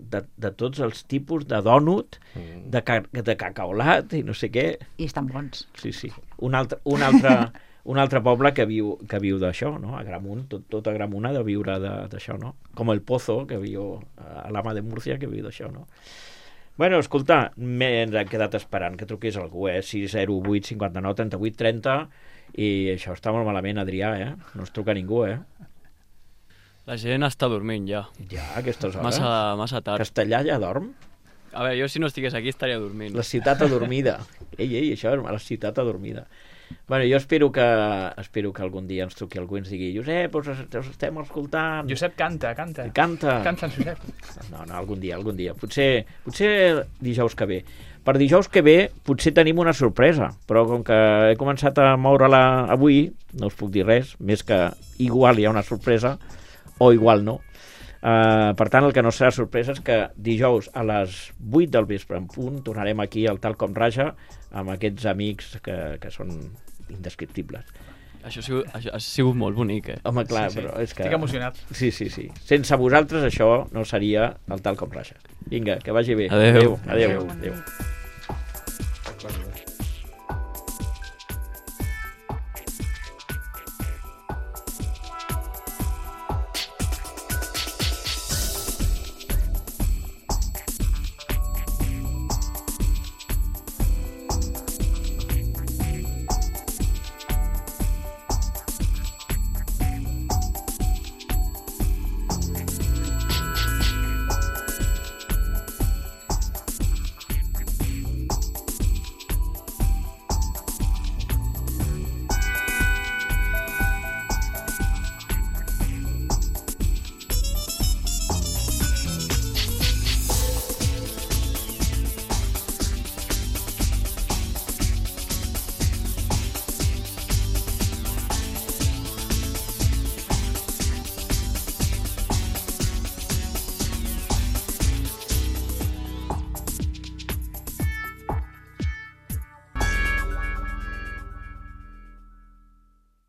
de, de tots els tipus de dònut, de, ca, de cacaolat i no sé què. I estan bons. Sí, sí. Un altre, un altre, un altre poble que viu, que viu d'això, no? A Gramunt, tot, tot a Gramunt ha de viure de- d'això, no? Com el Pozo, que viu a l'Ama de Múrcia, que viu d'això, no? Bueno, escolta, m'he quedat esperant que truqués algú, eh? sis zero vuit cinquanta-nou trenta-vuit trenta i això està molt malament, Adrià, eh? No es truca ningú, eh? La gent està dormint ja. Ja, a aquestes hores. Massa, massa tard. Castellà ja dorm? A veure, jo si no estigués aquí estaria dormint. La ciutat adormida. Ei, ei, això és la ciutat adormida. Bueno, jo espero que, espero que algun dia ens truqui algú i ens digui Josep, us, us estem escoltant. Josep, canta, canta. Canta. Canta, Josep. No, no, algun dia, algun dia. Potser, potser dijous que ve. Per dijous que ve potser tenim una sorpresa, però com que he començat a moure-la avui, no us puc dir res, més que igual hi ha una sorpresa o igual no. Uh, per tant, el que no serà sorpresa és que dijous a les vuit del vespre en punt tornarem aquí al Tal Com Raja amb aquests amics que, que són indescriptibles. Això ha sigut, això ha sigut molt bonic, eh? Home, clar, Sí, sí. però és que... Estic emocionat. Sí, sí, sí. Sense vosaltres això no seria el Tal Com Raja. Vinga, que vagi bé. Adéu. Adéu. Adéu. Adéu.